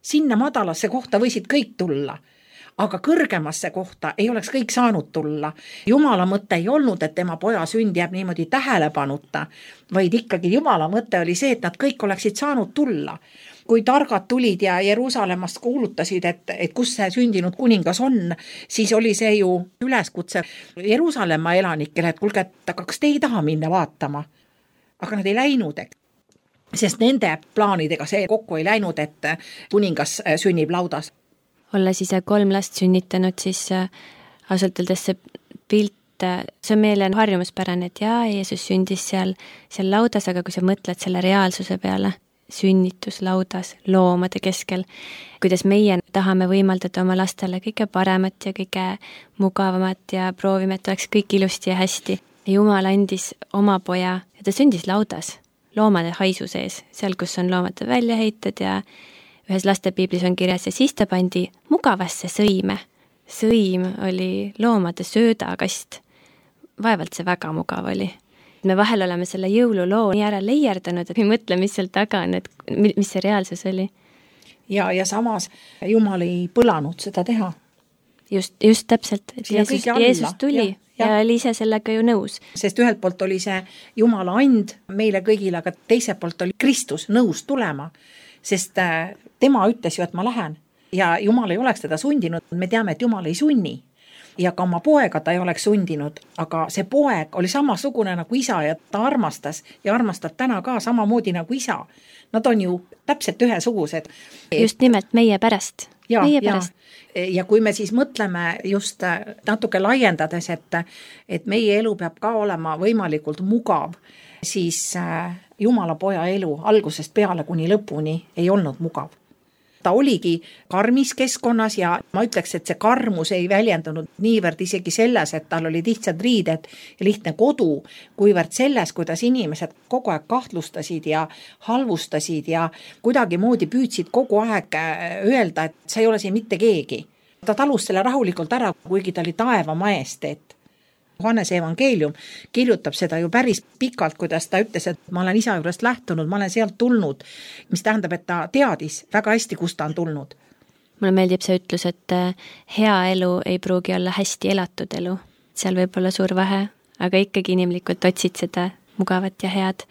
Sinna madalasse kohta võisid kõik tulla, aga kõrgemasse kohta ei oleks kõik saanud tulla. Jumala mõte ei olnud, et tema poja sünd jääb niimoodi tähelepanuta, vaid ikkagi Jumala mõte oli see, et nad kõik oleksid saanud tulla. Kui targad tulid ja Jeruusalemmast kuulutasid, et kus see sündinud kuningas on, siis oli see ju üleskutse Jeruusalemma elanikele, et kuulge, et kas te ei taha minna vaatama? Aga nad ei läinud, sest nende plaanidega see kokku ei läinud, et kuningas sünnib laudas. Olles ise 3 last sünnitanud, siis ausalt öeldes see pilt, see on meile harjumuspärane, et jaa, Jeesus sündis seal laudas, aga kui sa mõtled selle reaalsuse peale, sünnitus laudas, loomade keskel, kuidas meie tahame võimaldada oma lastele kõige paremat ja kõige mugavamat ja proovime, et oleks kõik ilusti ja hästi. Jumal andis oma poja ja ta sündis laudas, loomade haisu sees, seal, kus on loomade väljaheited ja ühes lastepiiblis on kirjas ja siis ta pandi mugavasse sõime. Sõim oli loomade söödakast. Vaevalt see väga mugav oli. Me vahel oleme selle jõululoo nii ära leierdanud, et me mõtle, mis seal taga on, et mis see reaalsus oli. Ja samas Jumal ei põlanud seda teha. Just täpselt, et Jeesus tuli ja oli ise sellega ju nõus. Sest ühelt poolt oli see Jumala and meile kõigile, aga teiselt poolt oli Kristus nõus tulema, sest tema ütles ju, et ma lähen ja Jumal ei oleks teda sundinud. Me teame, et Jumal ei sunni ja ka oma poega ta ei oleks sundinud, aga see poeg oli samasugune nagu isa ja ta armastas ja armastab täna ka samamoodi nagu isa. Nad on ju täpselt ühesugused. Just nimelt meie pärast. Ja kui me siis mõtleme just natuke laiendades, et meie elu peab ka olema võimalikult mugav, siis Jumala poja elu algusest peale kuni lõpuni ei olnud mugav. Ta oligi karmis keskkonnas ja ma ütleks, et see karmus ei väljendunud niivõrd isegi selles, et tal olid lihtsad riided ja lihtne kodu, kuivõrd selles, kuidas inimesed kogu aeg kahtlustasid ja halvustasid ja kuidagi moodi püüdsid kogu aeg öelda, et sa ei ole siin mitte keegi. Ta talus selle rahulikult ära, kuigi ta oli taeva majesteet. Johannese evangeelium kirjutab seda ju päris pikalt, kuidas ta ütles, et ma olen isa juurest lähtunud, ma olen sealt tulnud, mis tähendab, et ta teadis väga hästi, kust ta on tulnud. Mulle meeldib see ütlus, et hea elu ei pruugi olla hästi elatud elu. Seal võib olla suur vahe, aga ikkagi inimlikult otsid seda mugavat ja head.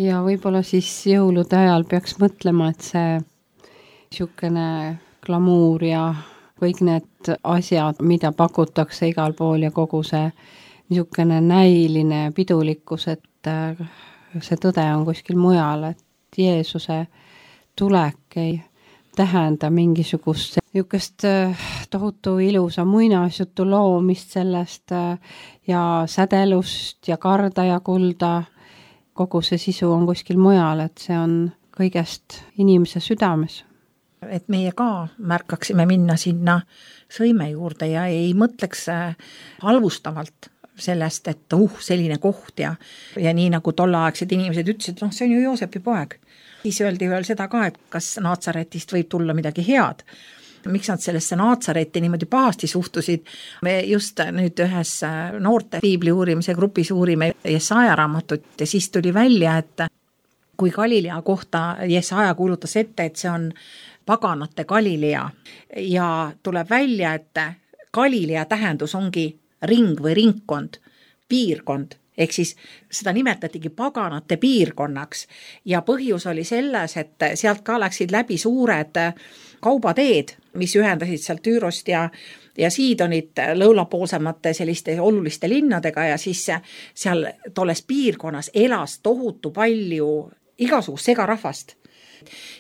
Ja võib-olla siis jõulude ajal peaks mõtlema, et see niisugune glamuur ja kõik need asjad, mida pakutakse igal pool ja kogu see niisugune näiline pidulikkus, et see tõde on kuskil mujal, et Jeesuse tulek ei tähenda mingisugust niisugust tohutu ilusa muinasjutu loomist sellest ja sädelust ja karda ja kulda. Kogu see sisu on kuskil mujal, et see on kõigest inimese südames. Et meie ka märkaksime minna sinna sõime juurde ja ei mõtleks halvustavalt sellest, et selline koht ja nii nagu tolleaegsed inimesed ütlesid, see on ju Joosepi poeg. Siis öeldi veel seda ka, et kas Naatsaretist võib tulla midagi head. Miks nad sellesse Naatsaretti niimoodi pahasti suhtusid? Me just nüüd ühes noorte piibli uurimise grupis uurime Jesaja raamatut ja siis tuli välja, et kui Galilea kohta Jesaja kuulutas ette, et see on paganate Galilea ja tuleb välja, et Galilea tähendus ongi ring või ringkond, piirkond, ehk siis seda nimetatigi paganate piirkonnaks ja põhjus oli selles, et sealt ka läksid läbi suured kaubateed, mis ühendasid sealt Tüürost ja Siidonit lõunapoolsemate selliste oluliste linnadega ja siis seal tolles piirkonnas elas tohutu palju igasugust segarahvast.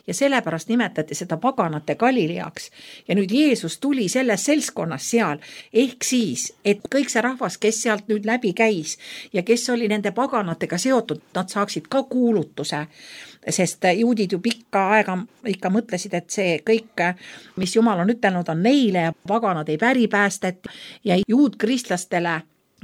Ja sellepärast nimetati seda paganate Galileaks. Ja nüüd Jeesus tuli selles seltskonnas seal, ehk siis, et kõik see rahvas, kes sealt nüüd läbi käis ja kes oli nende paganatega seotud, nad saaksid ka kuulutuse, sest juudid ju pikka aega ikka mõtlesid, et see kõik, mis Jumal on ütelnud, on neile ja paganad ei päri päästet ja juudkristlastele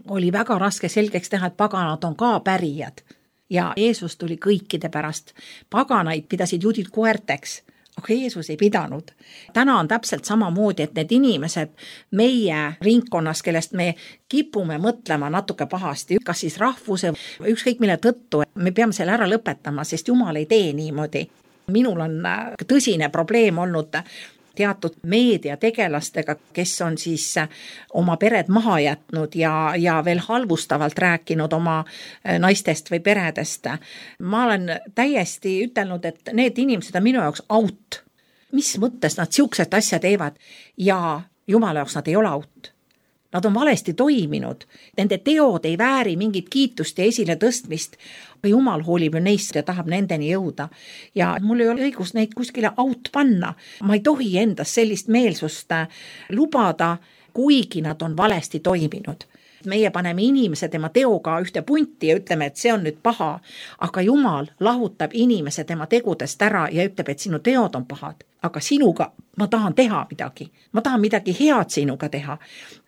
oli väga raske selgeks teha, et paganad on ka pärijad. Ja Jeesus tuli kõikide pärast. Paganaid pidasid juudid koerteks, aga Jeesus ei pidanud. Täna on täpselt samamoodi, et need inimesed meie ringkonnas, kellest me kipume mõtlema natuke pahasti, kas siis rahvuse, ükskõik mille tõttu, me peame selle ära lõpetama, sest Jumal ei tee niimoodi. Minul on tõsine probleem olnud teatud meediategelastega, kes on siis oma pered maha jätnud ja veel halvustavalt rääkinud oma naistest või peredest. Ma olen täiesti ütelnud, et need inimesed on minu jaoks out. Mis mõttes nad siuksed asja teevad ja Jumala jaoks nad ei ole out. Nad on valesti toiminud. Nende teod ei vääri mingit kiitust ja esile tõstmist. Jumal hoolib ju neist ja tahab nendeni jõuda. Ja mul ei ole õigus neid kuskile out panna. Ma ei tohi endas sellist meelsust lubada, kuigi nad on valesti toiminud. Meie paneme inimese tema teoga ühte punti ja ütleme, et see on nüüd paha, aga Jumal lahutab inimese tema tegudest ära ja ütleb, et sinu teod on pahad, aga sinuga ma tahan teha midagi. Ma tahan midagi head sinuga teha.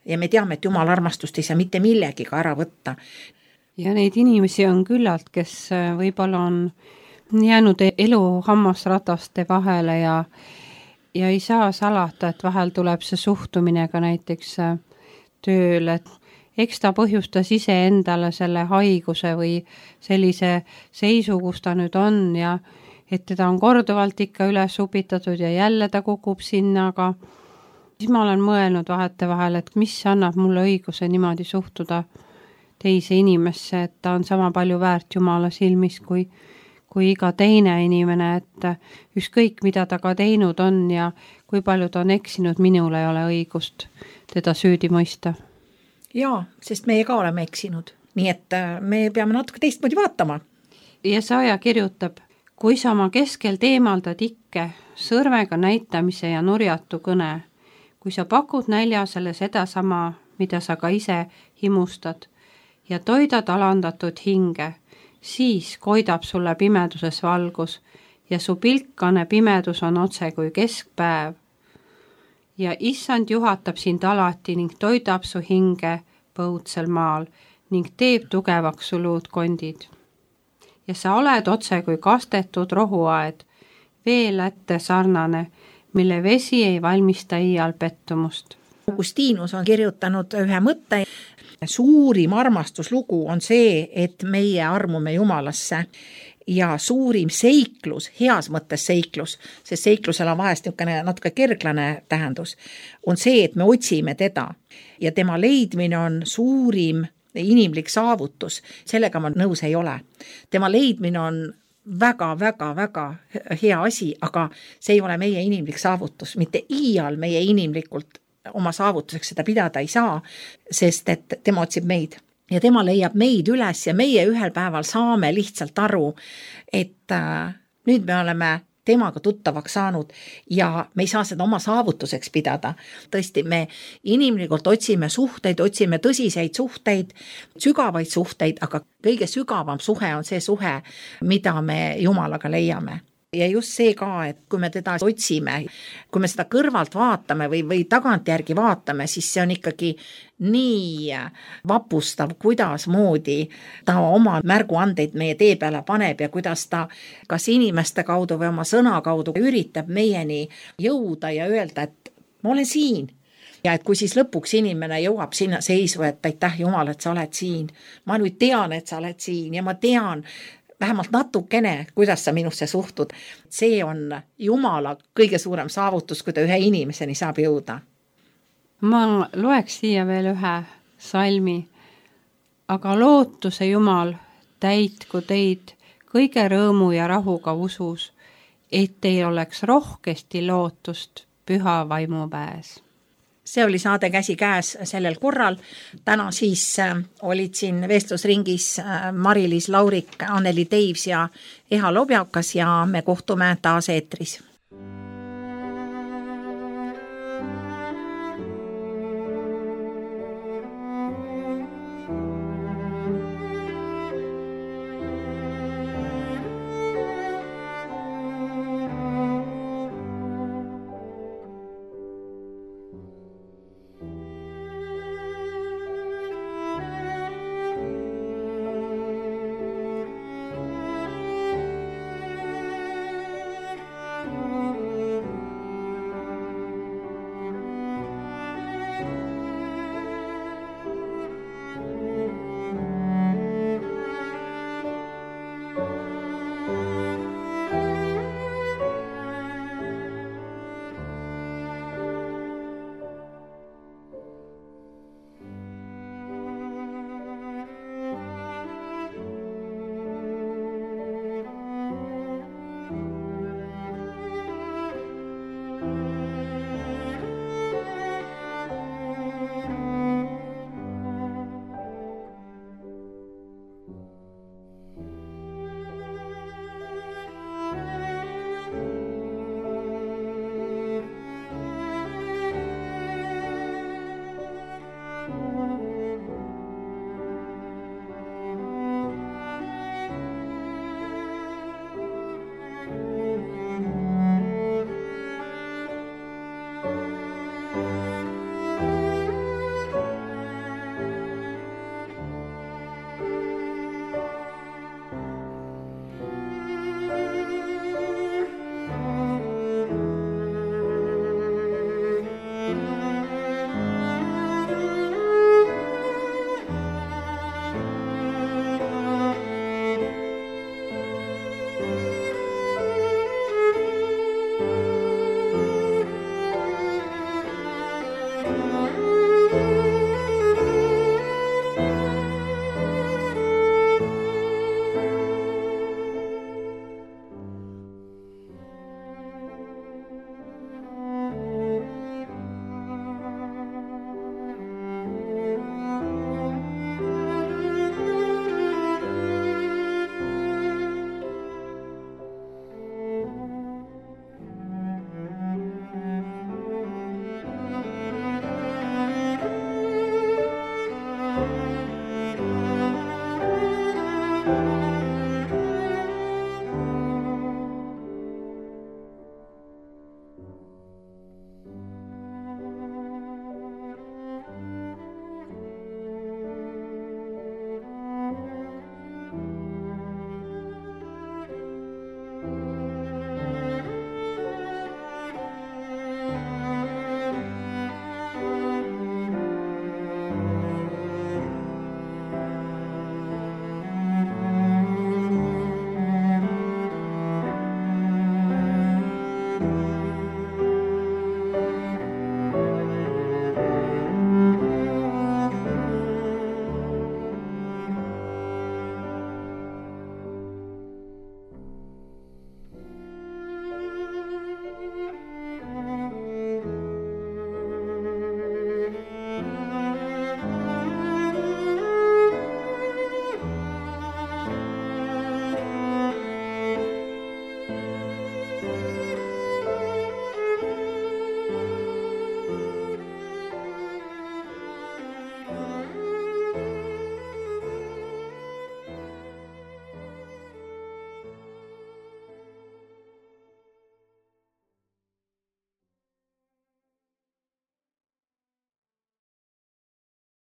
Ja me teame, et Jumal armastust ei saa mitte millegiga ära võtta. Ja neid inimesi on küllalt, kes võib-olla on jäänud elu hammasrataste vahele ja ei saa salata, et vahel tuleb see suhtumine ka näiteks tööl, et eks ta põhjustas ise endale selle haiguse või sellise seisu, kus ta nüüd on ja et teda on korduvalt ikka üles upitatud ja jälle ta kukub sinna, aga siis ma olen mõelnud vahetevahel, et mis annab mulle õiguse niimoodi suhtuda teise inimesse, et ta on sama palju väärt Jumala silmis kui iga teine inimene, et ükskõik mida ta ka teinud on ja kui palju ta on eksinud, minul ei ole õigust teda süüdi mõista. Jaa, sest meie ka oleme eksinud, nii et me peame natuke teistmoodi vaatama. Jesaja kirjutab, kui sa oma keskelt eemaldad ikke sõrmega näitamise ja nurjatu kõne, kui sa pakud näljasele sedasama, mida sa ka ise himustad ja toidad alandatud hinge, siis koidab sulle pimeduses valgus ja su pilkane pimedus on otse kui keskpäev. Ja issand juhatab sind alati ning toidab su hinge põudsel maal ning teeb tugevaks su luudkondid. Ja sa oled otse kui kastetud rohuaed, veelätte sarnane, mille vesi ei valmista iial pettumust. Augustinus on kirjutanud ühe mõtte. Suurim armastuslugu on see, et meie armume Jumalasse ja suurim seiklus, heas mõttes seiklus, sest seiklusel on vahest natuke kerglane tähendus, on see, et me otsime teda ja tema leidmine on suurim inimlik saavutus, sellega ma nõus ei ole. Tema leidmine on väga hea asi, aga see ei ole meie inimlik saavutus, mitte iial meie inimlikult oma saavutuseks seda pidada ei saa, sest et tema otsib meid ja tema leiab meid üles ja meie ühel päeval saame lihtsalt aru, et nüüd me oleme temaga tuttavaks saanud ja me ei saa seda oma saavutuseks pidada. Tõesti, me inimlikult otsime suhteid, otsime tõsiseid suhteid, sügavaid suhteid, aga kõige sügavam suhe on see suhe, mida me Jumalaga leiame. Ja just see ka, et kui me teda otsime, kui me seda kõrvalt vaatame või tagantjärgi vaatame, siis see on ikkagi nii vapustav, kuidas moodi ta oma märguandeid meie tee peale paneb ja kuidas ta kas inimeste kaudu või oma sõna kaudu üritab meieni jõuda ja öelda, et ma olen siin. Ja et kui siis lõpuks inimene jõuab sinna seisu, et aitäh Jumal, et sa oled siin. Ma nüüd tean, et sa oled siin ja ma tean vähemalt natukene, kuidas sa minusse suhtud. See on Jumala kõige suurem saavutus, kui ta ühe inimeseni saab jõuda. Ma loeks siia veel ühe salmi. Aga lootuse Jumal täitku teid kõige rõõmu ja rahuga usus, et teil oleks rohkesti lootust püha vaimu väes. See oli saade Käsi käes sellel korral. Täna siis olid siin vestlusringis Mari-Liis Laurik, Anneli Teivs ja Eha Lobjakas ja me kohtume taas eetris.